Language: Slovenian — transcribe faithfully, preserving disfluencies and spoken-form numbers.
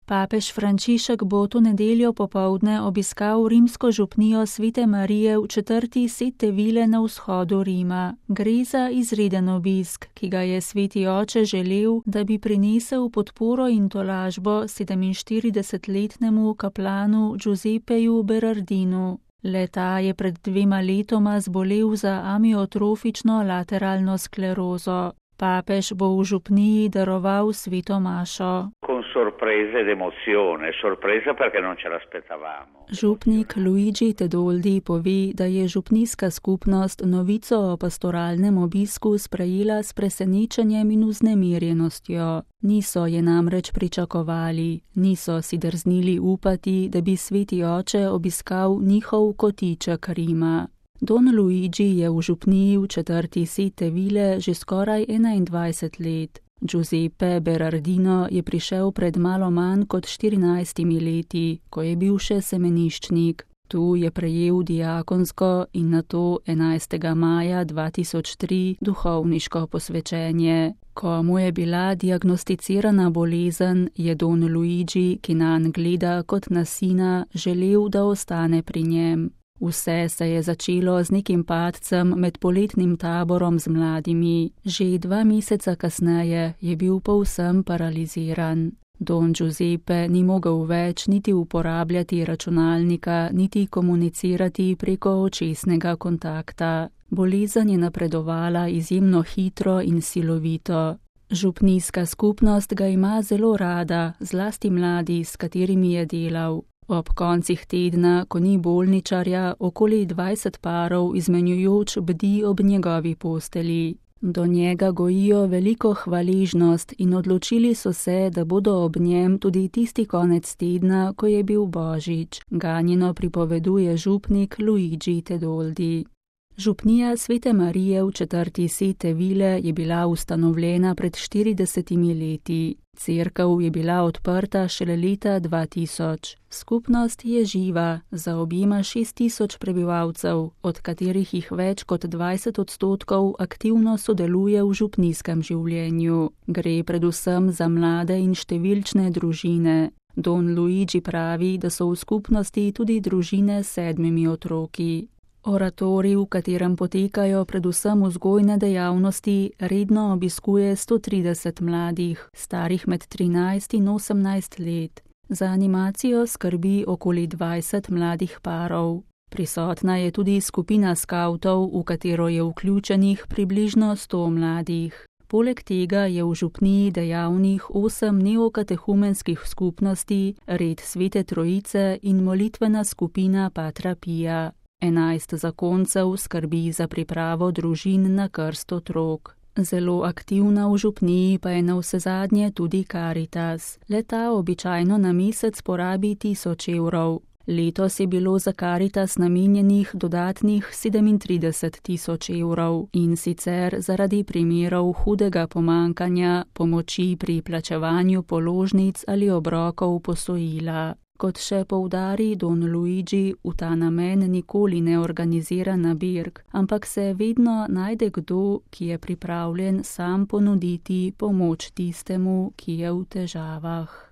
Papež Frančišek bo to nedeljo popoldne obiskal rimsko župnijo Svete Marije v četrti Sette Ville na vzhodu Rima. Gre za izreden obisk, ki ga je sveti oče želel, da bi prinesel podporo in tolažbo sedeminštiridesetletnemu kaplanu Giuseppeju Berardinu. Le-ta je pred dvema letoma zbolel za amiotrofično lateralno sklerozo. Papež bo v župniji daroval sveto mašo. Con sorpresa ed emozione, sorpresa perché non ce l'aspettavamo. Župnik Luigi Tedoldi pove, da je župnijska skupnost novico o pastoralnem obisku sprejela s presenečenjem in vznemirjenostjo. Niso je namreč pričakovali, niso si drznili upati, da bi sveti oče obiskal njihov kotiček Rima. Don Luigi je v župniji v četrti Sette Ville že skoraj enaindvajset let. Giuseppe Berardino je prišel pred malo manj kot štirinajstimi leti, ko je bil še semeniščnik. Tu je prejel diakonsko in nato enajstega maja dva tisoč tri duhovniško posvečenje. Ko mu je bila diagnosticirana bolezen, je Don Luigi, ki nanj gleda kot na sina, želel, da ostane pri njem. Vse se je začelo z nekim padcem med poletnim taborom z mladimi. Že dva meseca kasneje je bil povsem paraliziran. Don Giuseppe ni mogel več niti uporabljati računalnika, niti komunicirati preko očesnega kontakta. Bolezen je napredovala izjemno hitro in silovito. Župnijska skupnost ga ima zelo rada, zlasti mladi, s katerimi je delal. Ob koncih tedna, ko ni bolničarja, okoli dvajset parov izmenjujoč bdi ob njegovi posteli. Do njega gojijo veliko hvaležnost in odločili so se, da bodo ob njem tudi tisti konec tedna, ko je bil božič, ganjeno pripoveduje župnik Luigi Tedoldi. Župnija Svete Marije v četrti Sette Ville je bila ustanovljena pred štiridesetimi leti. Cerkev je bila odprta šele leta dva tisoč. Skupnost je živa, zaobjema šest tisoč prebivalcev, od katerih jih več kot dvajset odstotkov aktivno sodeluje v župnijskem življenju. Gre predvsem za mlade in številčne družine. Don Luigi pravi, da so v skupnosti tudi družine s sedmimi otroki. Oratorij, v katerem potekajo predvsem vzgojne dejavnosti, redno obiskuje sto trideset mladih, starih med trinajst in osemnajst let. Za animacijo skrbi okoli dvajset mladih parov. Prisotna je tudi skupina skavtov, v katero je vključenih približno sto mladih. Poleg tega je v župniji dejavnih osem neokatehumenskih skupnosti, red Svete Trojice in molitvena skupina Patra Pia. Enajst zakoncev skrbi za pripravo družin na krst otrok. Zelo aktivna v župniji pa je navsezadnje tudi Karitas. Le-ta običajno na mesec porabi tisoč evrov. Letos je bilo za Karitas namenjenih dodatnih sedemintrideset tisoč evrov in sicer zaradi primerov hudega pomankanja, pomoči pri plačevanju položnic ali obrokov posojila. Kot še poudari Don Luigi, v ta namen nikoli ne organizira nabirk, ampak se vedno najde kdo, ki je pripravljen sam ponuditi pomoč tistemu, ki je v težavah.